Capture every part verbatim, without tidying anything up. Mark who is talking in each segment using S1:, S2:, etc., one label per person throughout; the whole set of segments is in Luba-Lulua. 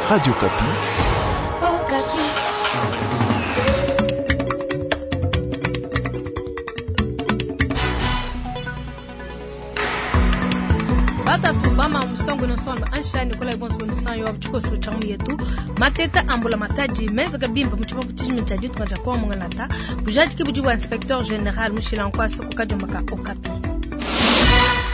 S1: Radio Okapi.
S2: Batatu bama mustangu na sonba ansha Nicolas Bonso musan yo chikoso chamu yetu mateta ambula mataji meza kabimba muchiba kuchijimi cha ditu kaja kwa mungalata bujadi kibuji wa inspecteur général mushila nkwasa kukajomba ka Okapi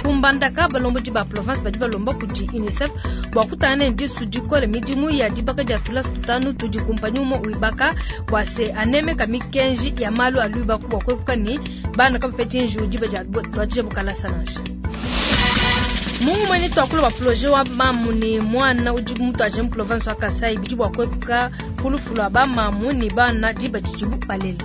S2: kumbandaka balomboji ba province badi balomba kudi UNICEF bua kutana ne disu dikole midimu ya dibaka dia tulasa tutanu tudi kumpanyi umue wibaka bua se anemeka mikenji ya malu a luibaku bua kuepuka ne bana kabapetshi njiwu diba dia tuadija bukalasa nansha. Mungu mwenye twakula wa projet wa mamu ni mwana udi mutu aje mu province wa Kasai bidi bua kuepuka kulufu lua ba mamu ni bana diba didibu balela.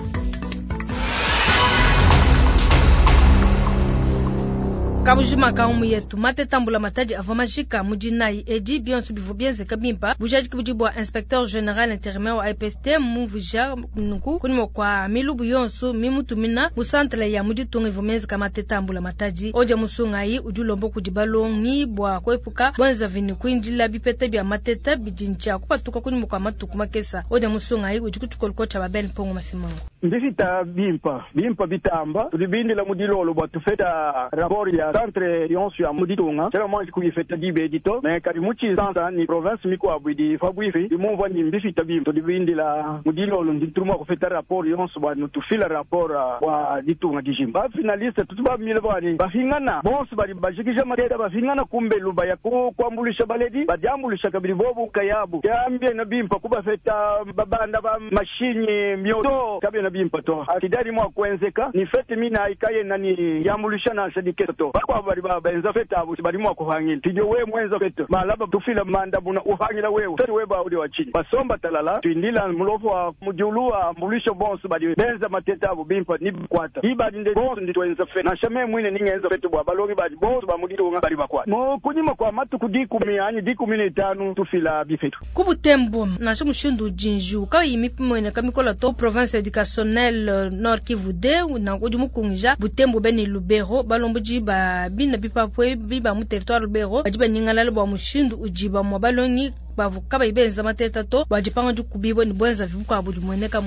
S2: Kabujima ka umu yetu matetambula matadi avua majika mudinayi edi bionso bivua bienzeka bimpa bujadiki budi bua inspecteur général intérimaire wa I P S T mumvuija nunku kunyima kua milubu yonso mimutumina mu centre ya muditunga ivua mienzeka matetambula matadi odia musungayi udi ulomba kudi balongi bua kuepuka bwenzavi ne kuindila bipeta bia mateta bidi ntshia kupatuka kunyima kua matuku makesa odia musungayi udi kutshikoloko tshia babene mpongo masimango.
S3: Ndifita bimpa bimpa bitamba tulibindila mudilolo bua tufeta rapport ya centre yonso ya muditunga tshiena mwanji kuyifeta dibe edito me kadi mu tshisansa ni province mikuabu idi pabuipi imumvua ni mbifita bimpa tulibindila mudilolo nditulumua kufeta rapport yonso bua nutufila rapport bua ditunga dijima ba finaliste tutu bamile bwani bafingana bonso badi bajikija mateta bafingana kumbelu baya ku kuambulisha baledi badiambulisha kabidi bobu kayabu kyambie na bimpa kubafeta babanda ba mashinyi mioto kabie na bimpa to akidali mwa kuenzeka ni fete mina ikaye nani yambulisha na sadiketo to bakwa bali ba benza fete abo bali mwa kuhangila tijo we mwenza fete malaba tufila manda buna uhangila wewe fete we ba uli wa chini basomba talala tuindila mulofu wa mujulu wa mbulisho bonso bali benza mateta abo bimpa ni kwata ibali nde bonso ndi twenza fete na shame mwine ningenza fete bwa balongi bali bonso ba muditunga bali bakwa mo kunyima kwa matuku dikumi anyi dikumi ne tano tufila bifetu
S2: kubutembo na mushindu jinju kayi mipimo kamikola to province éducationnelle Nord Kivu de na udi mukungija Butembo beni Lubero balomboji ba bina bipapwe biba mu territoire Lubero badi banyingalala bwa mushindu ujiba mwa balongi bavuka bayibenza mateta to bajipanga dikubibwa ni bwenza vibuka budi mweneka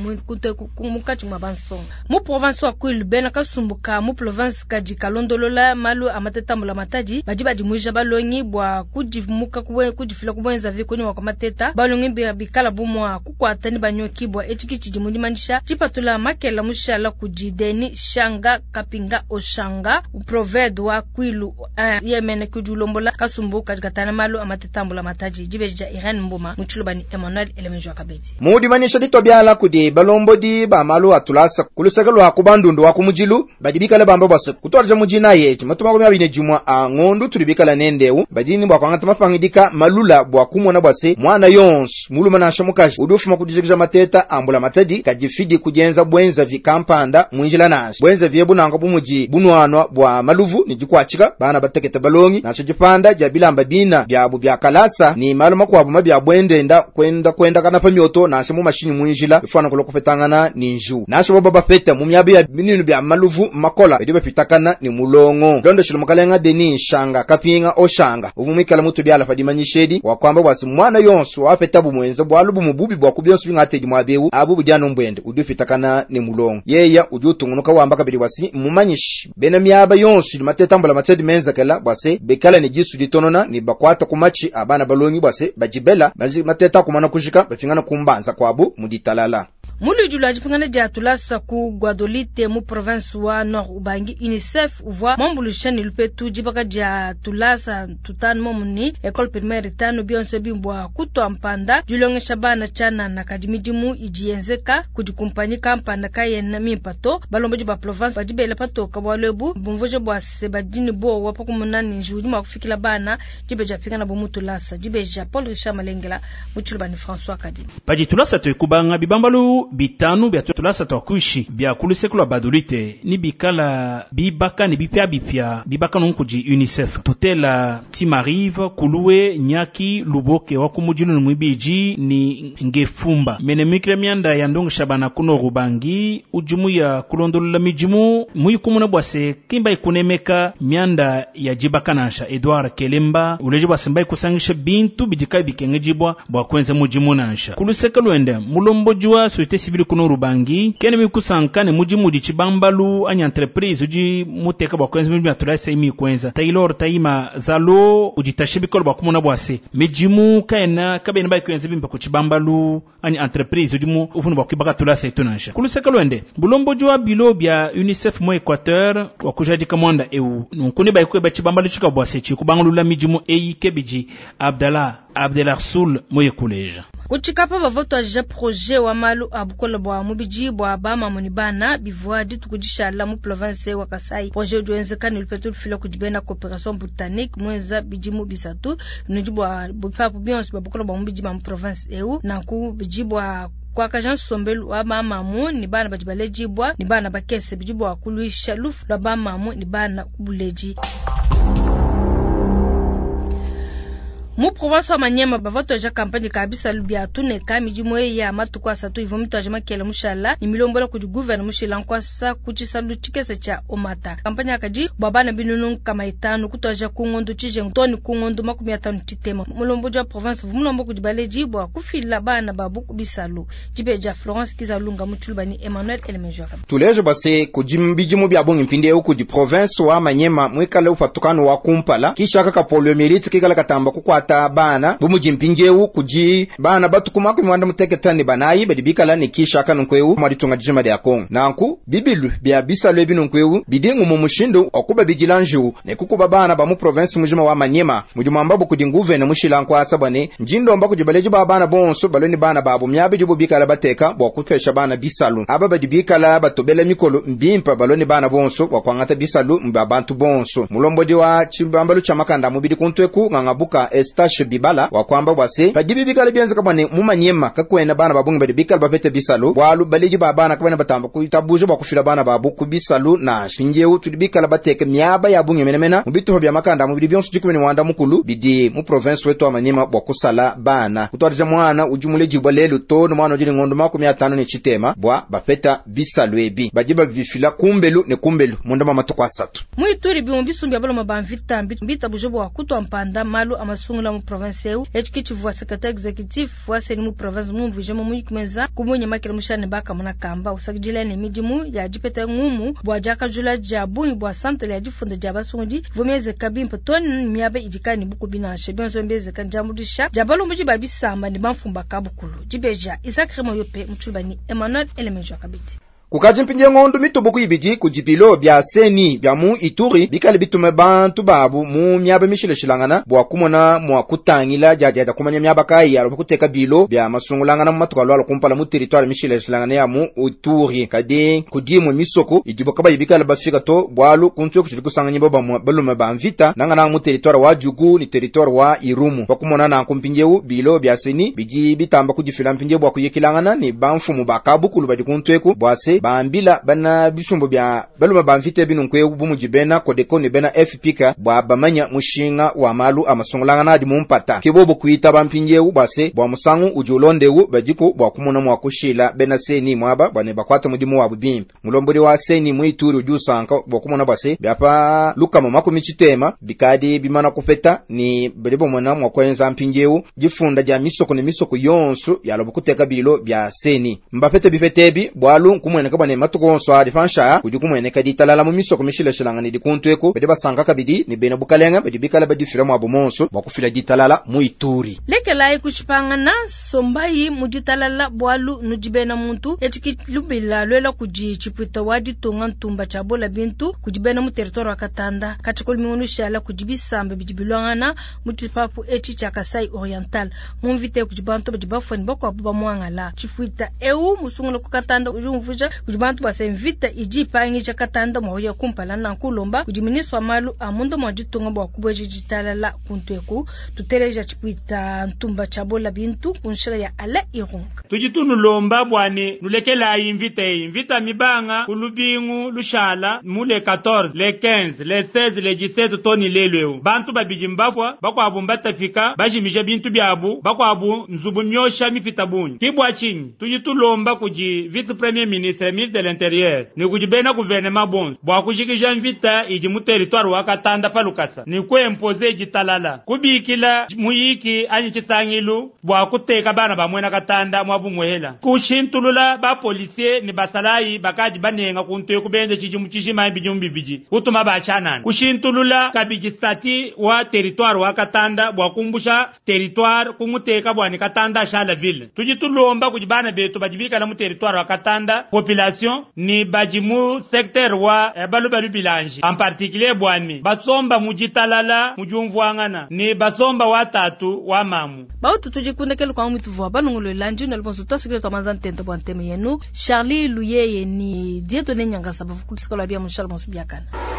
S2: mukati mwa bansonga mu province wa Kwilu bena kasumbuka mu province kadi kalondolola malu amateta mbula matadi badi badimuija balongi bwa kudimuka kudifila kubwenza vikoni wa mateta balongi bikala bumwa kukwata ni banyoki bwa echiki chidi mundimanyisha chipatula makela mushala kudi Deni Shanga Kapinga Oshanga proved wa Kwilu yemene kudulombola kasumbuka katana malu amateta mbula matadi dibeja Irene Mboma muchulubani Emmanuel Elemenjo Akabedi
S4: Mudi manisha ditwa kudi balombodi ba malu atulasa kulusaka lwa kubandundu wa kumujilu badibikala bamba bwase kutwarja mujina yetu matuma kumya bine jumwa a ngondu tulibikala nendeu badini bwa kwangata mapangidika malula bwa kumona bwase mwana yonso muluma na shamukaji udufuma kudijikija mateta ambula matadi kajifidi kujenza bwenza vikampanda mwinjila nasha bwenza vyebu nanga bumuji bunwanwa bwa maluvu ni jikwachika bana batekete balongi nasha jipanda jabilamba bina byabu bya kalasa ni malu makwabu mabya bwendenda kwenda kwenda kana pa myoto nasha mu mashinyi mwinjila ifana kulo kupetangana ni nju nasha baba bafeta mu myabi ya bininu bya maluvu makola bidi bapitakana ni mulongo londo shilo mukalenga Deni Shanga Kapinga Oshanga uvumikala mutu byala padimanyishedi wa kwamba bwasi mwana yonso wafeta bumwenza bwalu bumububi bwa kubyonso bingatedi mwabewu abu bujano mbwende udufitakana ni mulongo yeya ujutungunuka wamba kabili bwasi mumanyishi bena myaba yonso mateta mbula matedi menza kala bwase bekala ni jisu ditonona ni bakwata kumachi abana balongi bwase bajibela mateta kumana kujika bafingana kumbanza kwabu muditalala.
S2: Mulujulu ajipingana dia tulasa ku Guadolite mu province wa Nord Ubangi UNICEF uvua mwambulisha ni lupetu jibaka dia tulasa tutanu momuni école primaire tano bionso bimbwa kutwa mpanda julongesha bana chana na kadimidimu ijienzeka kudi kumpanyika mpanda kayena mimpato balomboji ba province badibela patoka bwalwebu bumvuje bwa sebadini bo wapa kumunani njudi mwa kufikila bana jibeja pingana bo mutulasa jibeja Paul Richard Malengela muchulubani François Kadi
S5: Padi tulasa te kubanga bibambalu
S1: bitanu bya tulasa twa kuishi bya kuluseko lwa Badolite ni bikala bibaka ni bipya bipya bibaka nunku di UNICEF tutela Timarive Kuluwe Nyaki Luboke wa kumujilu ni mwibiji ni ngefumba mene mikre mianda ya ndongo shabana kuno rubangi ujumu ya kulondolola mijimu muyikumuna bwase kimba ikunemeka mianda ya jibakanansha Edouard Kelemba uleje bwase mba ikusangisha bintu bidika bikengejibwa bwa kwenza mujimu nansha kuluseka lwende mulomboji wa société civile kuno rubangi kene mikusankane mujimu di chibambalu anya entreprise uji muteka bwa kwenza mijimu atulasa imi kwenza Taylor Taima Zalo ujitashe bikolo bwa kumuna bwase mijimu kaena kabene ba kwenza bimba ku chibambalu anya entreprise ujimu ufunu bwa kibaka tulasa itunansha kuluseka lwende bulomboji wa bilo bya UNICEF mo Equateur wa kujadika mwanda eu nunkuni ba ikwe bachibambalu chika bwase chikubangulula mijimu eyi kebiji Abdallah Abdelarsoul moye kuleja
S2: kuchikapa bavotwaja projet wa malu abukola bwa mubiji bwa bama bana bivua ditukudishala mu province wa Kasai. Projet udiwenzeka ni lupetu lufila kudibena coopération britannique mwenza bijimu bisatu nudi bwa bupapu bionso bwa bukola bwa mubiji ba mu province eu nanku biji bwa kwakaja nsombelu wa bamamu ni bana badi balejibwa ni bana bakese biji bwa kulwisha lufu lwa bamamu ni bana kubuleji. Mu province wa Manyema bavatoja kampanye kabisa lubya tuneka mijimu ya matuku asatu ivo mitaje makele mushala ni milombola kudi gouverne mushila nkwasa kuchisalu chikese cha omata. Kampanye akaji babana binunu kama itano kutoja kungondo chije ntoni kungondo makumi atano chitema. Mulombo ja province vumulombo kudi baleji bwa kufila bana babu kubisalu. Jibeja Florence Kizalunga mutulubani Emmanuel Elemejoka.
S4: Tuleje base kujimbijimu bya bongi mpinde huku di province wa Manyema mwikale ufatukano wa kumpala kisha kaka poliomyelite kikala katamba kukwata bana bumujimpinjewu kuji bana batukuma ku mwanda muteketani banayi badibikala ni kisha kanunkweu mwaditunga jima lya Kongo nanku bibilu bya bisalu ebinunkweu bidingu mu mushindu okuba bijilanju ne kukuba bana ba mu province mujima wa Manyema mujumamba bukudi nguve ne mushila nkwasa bwane njindomba kujibaleji ba bana bonso baloni bana babo myabi dibu bikala bateka bwa kutwesha bana bisalu aba badibikala batobela mikolo mbimpa baloni bana bonso bwa kwangata bisalu mba bantu bonso mulombodi wa chibambalu cha makanda mubidi kuntweku ngangabuka Estache Bibala wa kwamba bwase padibi bikala byenza kabane mumanyema kakwena bana babungi badi bikala bapete bisalu bwalu baliji ba bana kabane batamba kuitabuje bwa kufila bana babu kubisalu na shinjeu tulibikala bateke miaba ya bungi menemena mubituho bya makanda mubidi byonso jikumi ni wanda mukulu bidi mu province wetu wa Manyema bwa kusala bana kutwarija mwana ujumule jibwa lelu to no mwana ujili ngondo makumi atano ni chitema bwa bapeta bisalu ebi bajiba bifila kumbelu ne kumbelu munda mama asatu
S2: muituri bimbi sumbya baloma banvita mbita bujobo wa kutwa mpanda malu amasungula mu province eu echikichi vwa secrétaire exécutif wa seni mu province mumvuje mu muyikumeza kumunye makele mushane baka muna kamba usakijila ne midimu ya jipete ngumu bwa jakajula ja bungi bwa santre ya jifunda ja basungi vumeze kabimpa toni miabe idikani buku binashe benzo mbeze kanjamudisha jabalumbuji babisamba ni bamfumba kabukulu jibeja Isaac Remoyope mchubani Emmanuel Elemenjo kabiti
S4: kukaji mpinje ngondo mitubuku ibiji kujipilo bya seni bya mu Ituri bikali bitume bantu babu mu myaba mishileshilangana bwa kumona mwa kutangila jajaja kumanya myaba kai ya kuteka bilo bya masungulangana mu matuka lwalo kumpala mu territoire mishileshilangana ya mu Ituri kadi kudimu misoko idibo kaba ibikala bafika to bwalu kuntwe kushili kusanganya baba balume ba mvita nangana mu territoire wa Jugu ni territoire wa Irumu bakumona na kumpinjeu bilo bya seni biji bitamba kujifila mpinje bwa kuyekilangana ni bamfumu bakabukulu badi kuntweku bwase bambila bana bisumbo bya baluma bamvite binu nkwe bumujibena kodeko ni bena F P K bwa bamanya mushinga wa malu amasungulangana adi mumpata kibobo kuita bampinjewu bwase bwa musangu ujulondewu bajiko bwa kumona mwa kushila bena seni mwaba bwane bakwata mudimu wa bubimpa mulomboli wa seni muituri ujusanka bwa kumona bwase byapa lukama makumi chitema bikadi bimana kupeta ni balibo mwana mwa kwenza mpinjewu jifunda ja misoko ni misoko yonsu yalobo kuteka bilo bya seni mbapete bifetebi bwalu nkumwene kabane matuko onso adi fansha kudi kumwene kadi talala mu misoko mishileshilanga ni dikuntweko bede basanka kabidi ni bena bukalenga bedi bikala badifila mwa bumonso bwa kufila ditalala mu Ituri
S2: lekelayi kushipangana sombayi muditalala bwalu nudibena muntu echikilubila lwela kudi chipwita wa ditunga ntumba cha bola bintu kudibena mu territoire wa Katanda kachikoli mingunushala kudi bisambe bidi bilwangana mu tshipapu echi cha Kasai Oriental mumvite kudi bantu badi bafwani bakwabu bamwangala chipwita eu musungula ku Katanda ujumvuja Kudi bantu bua se mvita idi ipangija Katanda mua kuya kumpala nanku ulomba kudi ministre wa malu a munda mua ditunga bua kubueja ditalala kuntu eku. Tuteleja tshipuita ntumba tshia bola bintu kunshila ya Alain Irunga.
S5: Tudi tunulomba bwani nulekelayi mvita eyi mvita mibanga ku lubingu lushala mu le quatorze le quinze le seize le dix-sept toni lelu eu bantu babidi mbafwa bakwabu mbatafika bajimija bintu byabu bakwabu nzubu myosha mipita bungi kibwa chinyi tudi tulomba kudi vice premier ministre ministre de l'intérieur ni kudi bena gouvernement bonso bwa kujikija mvita idi mu territoire wa Katanda pa lukasa ni kuempoze ditalala kubikila muyiki anyi chisangilu bwa kuteka bana ba mwena Katanda mwa bumwehela kushintulula ba policier ni basalayi bakadi banenga kuntu kubenze chijimu chishima bijimu bibiji kutuma bachanana kushintulula kabiji stati wa territoire wa Katanda bwa kumbusha territoire kumuteka bwa ni Katanda shala ville tudi tulomba kudi bana betu badibikala mu territoire wa Katanda population ni badi mu secteur wa eh, balubalu bilanji en particulier bwami basomba mujitalala mujumvuangana ni basomba watatu wa mamu
S2: bautu tujikundekele kwa mutu balongolola njino libonso twasikile twamanza ntente bwa nteme yenu Charlie Luyeye ni Dieudonné Nyangasa bavukulisika lwa bia munshala bonso biakana.